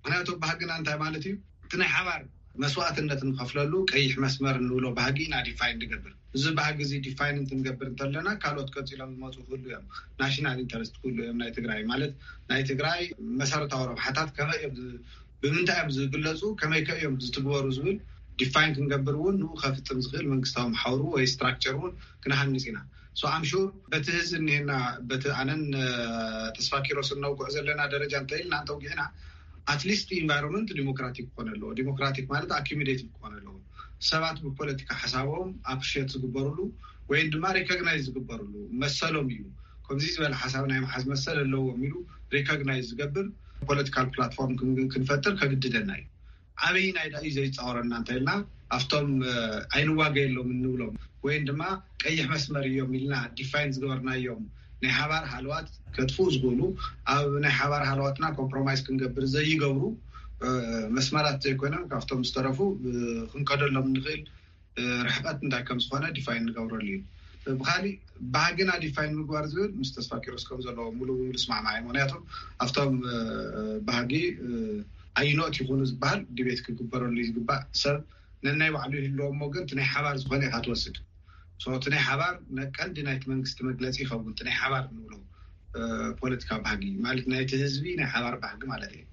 ምኽንያቱ ባህግና እንታይ ማለት እዩ? እቲ ናይ ሓባር መስዋእትነት ንኸፍለሉ ቀይሕ መስመር እንብሎ ባህጊ ኢና ዲፋይን ንገብር። እዚ ባህጊ እዚ ዲፋይን እንትንገብር እንተለና፣ ካልኦት ቀፂሎም ዝመፁ ክህሉ እዮም። ናሽናል ኢንተረስት ክህሉ እዮም። ናይ ትግራይ ማለት፣ ናይ ትግራይ መሰረታዊ ረብሓታት ከመይ እዮም ዝ-፣ ብምንታይ እዮም ዝግለፁ፣ ከመይ ከ እዮም ዝትግበሩ ዝብል ዲፋይን ክንገብር እውን፣ ንኡ ከፍፅም ዝኽእል መንግስታዊ መሓውሩ ወይ ስትራክቸር እውን ክንሃንፅ ኢና። ሶ ኣም ሹር በቲ ህዚ እኒሄና፣ በቲ ኣነን፣ እ፣ ተስፋ ኪሮስን ነውግዖ ዘለና ደረጃ እንተኢልና፣ እንተውጊዕና፣ ኣትሊስት ኢንቫይሮንመንት ዲሞክራቲክ ክኾን ኣለዎ። ዲሞክራቲክ ማለት ኣኪሚሌቲቭ ክኾን ኣለዎ። ሰባት ብፖለቲካ ሓሳቦም ኣፕሪሼት ዝግበሩሉ ወይም ድማ ሪኮግናይዝ ዝግበሩሉ መሰሎም እዩ። ከምዚ ዝበለ ሓሳብ ናይ መሓዝ መሰል ኣለዎም ኢሉ ሪኮግናይዝ ዝገብር ፖለቲካል ፕላትፎርም ክን-፣ ክንፈጥር ከግድደና እዩ። ኣበይናይ ዳ እዩ ዘይፃወረና እንተኢልና፣ ኣብቶም፣ እ፣ ኣይንዋገየሎም እንብሎም ወይም ድማ ቀይሕ መስመር እዮም ኢልና ዲፋይን ዝገበርናዮም ናይ ሓባር ሃለዋት ከጥፍኡ ዝኽእሉ፣ ኣብ ናይ ሓባር ሃለዋትና ኮምፕሮማይዝ ክንገብር ዘይገብሩ፣ እ፣ መስመራት ዘይኮይኖም፣ ካብቶም ዝተረፉ፣ እ፣ ክንከደሎም እንኽእል፣ እ፣ ርሕቀት እንታይ ከም ዝኾነ ዲፋይን ንገብረሉ እዩ። ብኻሊእ፣ ባህግና ዲፋይን ምግባር ዝብል ምስ ተስፋ ኪሮስ ከም ዘለዎ ሙሉ ብሙሉ እስማዕማዕ እየ። ምኽንያቱ ኣብቶም፣ እ፣ ባህጊ፣ እ፣ ኣይኖት ይኹኑ ዝበሃል ዲቤት ክግበረሉ እዩ ዝግባእ። ሰብ ነናይ ባዕሉ ይህልዎ እሞ፣ ግን እቲ ናይ ሓባር ዝኾነ ኢኻ ትወስድ። ሶ እቲ ናይ ሓባር ነ-፣ ቀንዲ ናይቲ መንግስቲ መግለፂ ይኸውን። እቲ ናይ ሓባር ንብሎ፣ እ፣ ፖለቲካ ባህጊ ማለት ናይቲ ህዝቢ ናይ ሓባር ባህጊ ማለት እዩ።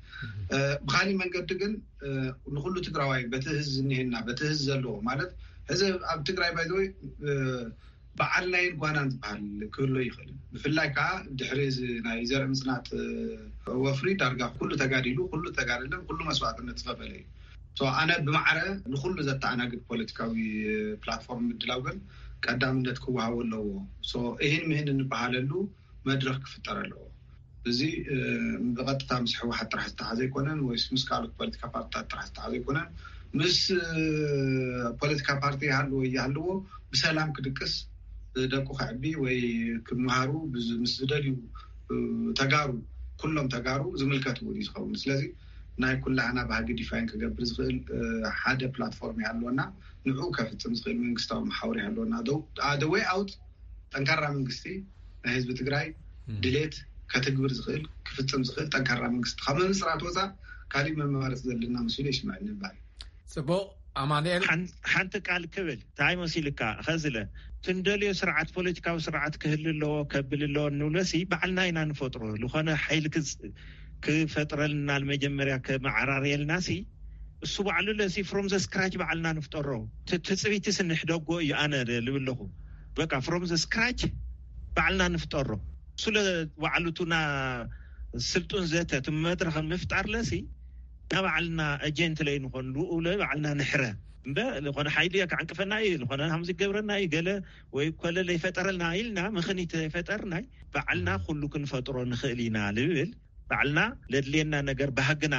እ፣ ብኻሊእ መንገዲ ግን፣ እ፣ ንኹሉ ትግራዋይ በቲ ህዝቢ ዝኒሄና፣ በቲ ህዝቢ ዘለዎ ማለት፣ ሕዚ ኣብ ትግራይ ባይ ዘ ወይ፣ እ፣ በዓል ናይን ጓናን ዝበሃል ክህሎ ይኽእል እዩ። ብፍላይ ከዓ ድሕሪ እዚ ናይ ዘርኢ ምፅናት፣ እ፣ ወፍሪ ዳርጋ ኩሉ ተጋዲሉ፣ ኩሉ ተጋደለን ኩሉ መስዋዕትነት ዝኸፈለ እዩ። ሶ ኣነ ብማዕረ ንኹሉ ዘተኣናግድ ፖለቲካዊ ፕላትፎርም ምድላው ግን ቀዳምነት ክወሃቦ ኣለዎ። ሶ እሂን ምህን እንበሃለሉ መድረኽ ክፍጠር ኣለዎ። እዚ፣ እ፣ ብቐጥታ ምስ ህወሓት ጥራሕ ዝተሓዘ ኣይኮነን፣ ወይስ ምስ ካልኦት ፖለቲካ ፓርቲታት ጥራሕ ዝተሓዘ ኣይኮነን። ምስ፣ እ፣ ፖለቲካ ፓርቲ ይሃልዎ ይሃልዎ ብሰላም ክድቅስ፣ እ፣ ደቁ ከዕቢ ወይ ክመሃሩ ብዝ-፣ ምስ ዝደልዩ፣ እ፣ ተጋሩ፣ ኩሎም ተጋሩ ዝምልከት እውን እዩ ዝኸውን። ስለዚ ናይ ኩላህና ባህጊ ዲፋይን ክገብር ዝኽእል፣ እ፣ ሓደ ፕላትፎርም ይሃልወና፣ ንዑ ከፍፅም ዝኽእል መንግስታዊ መሓውር ይሃልወና። The way out ጠንካራ መንግስቲ፣ ናይ ህዝቢ ትግራይ ድሌት ከትግብር ዝኽእል፣ ክፍጽም ዝኽእል ጠንካራ መንግስቲ ካብ ምምስራት ወፃእ ካሊእ መመረፂ ዘለና መስሉ ይስምዐኒ ይባል። ፅቡቕ። ኣማኑኤል፣ ሓን-፣ ሓንቲ ቃል ክብል እንታይ መሲልካ? ኸዝለ ትንደልዮ ስርዓት፣ ፖለቲካዊ ስርዓት ክህል ኣለዎ፣ ከብል ኣለዎ እንብለሲ ባዕልና ኢና ንፈጥሮ። ዝኾነ ሓይሊ ክጽ-፣ ክፈጥረልና መጀመርያ ከመዓራርየልናሲ እሱ ባዕሉ ለሲ from the scratch ባዕልና ንፍጠሮ። ት-፣ ትጽቢትስ ንሕደጎ እዩ ኣነ ልብል ኣለኹ። በቃ from the scratch ባዕልና ንፍጠሮ። እሱ ለ ባዕሉ ቱና ስልጡን ዘተ ቲ መድረኽ ምፍጣር ለሲ ንባዕልና ኤጀንት ለይ ንኾን፣ ንኡ ለባዕልና ንሕረ። እምበ ዝኾነ ሓይሊ ከዓንቅፈና እዩ፣ ዝኾነ ሃምዚ ገብረና እዩ፣ ገለ ወይ ኮለ ለይፈጠረልና ኢልና ምኽኒት ለይፈጠርናይ ባዕልና ኩሉ ክንፈጥሮ ንኽእል ኢና ልብል። ባዕልና ለድልየና ነገር ባህግና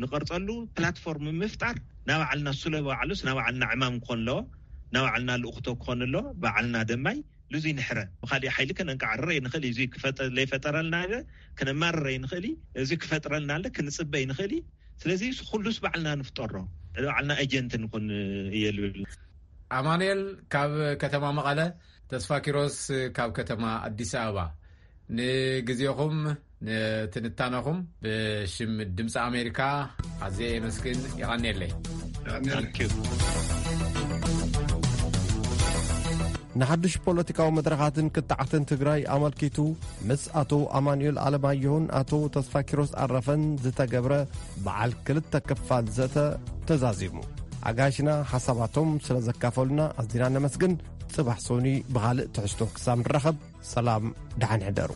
ንቐርጸሉ ፕላትፎርም ምፍጣር ናባዕልና፣ እሱ ለባዕሉስ ናባዕልና ዕማም ክኾን ኣለዎ፣ ናባዕልና ልኡኽቶ ክኾን ኣለዎ። ባዕልና ደማይ ልዙይ ንሕረ። ብኻሊእ ሓይሊ ከነንቃዕርር ኣይንኽእል እዩ። እዙይ ክፈጠ-፣ ለይፈጠረልና ኢለ ክነማርር ኣይንኽእል እዩ። እዙይ ክፈጥረልና ኣለ ክንጽበ ኣይንኽእል እዩ። ስለዚ ኩሉስ ባዕልና ንፍጠሮ፣ ባዕልና ኤጀንት ንኹን እየ ልብል። ኣማኑኤል ካብ ከተማ መቐለ፣ ተስፋ ኪሮስ ካብ ከተማ ኣዲስ ኣበባ፣ ንግዜኹም ንትንታነኹም ብሽም ድምፂ ኣሜሪካ ኣዝየ የመስግን። የቐንየለይ። ንሓድሽ ፖለቲካዊ መድረኻትን ክትዓትን ትግራይ ኣመልኪቱ ምስ ኣቶ ኣማኑኤል ኣለማየሁን ኣቶ ተስፋ ኪሮስ ኣረፈን ዝተገብረ በዓል ክልተ ክፋል ዘተ ተዛዚሙ። ኣጋይሽና ሓሳባቶም ስለ ዘካፈሉና ኣዝና ነመስግን። ጽባሕ ሶኒ ብኻልእ ትሕዝቶ ክሳብ ንራኸብ፣ ሰላም፣ ደሓን ሕደሩ።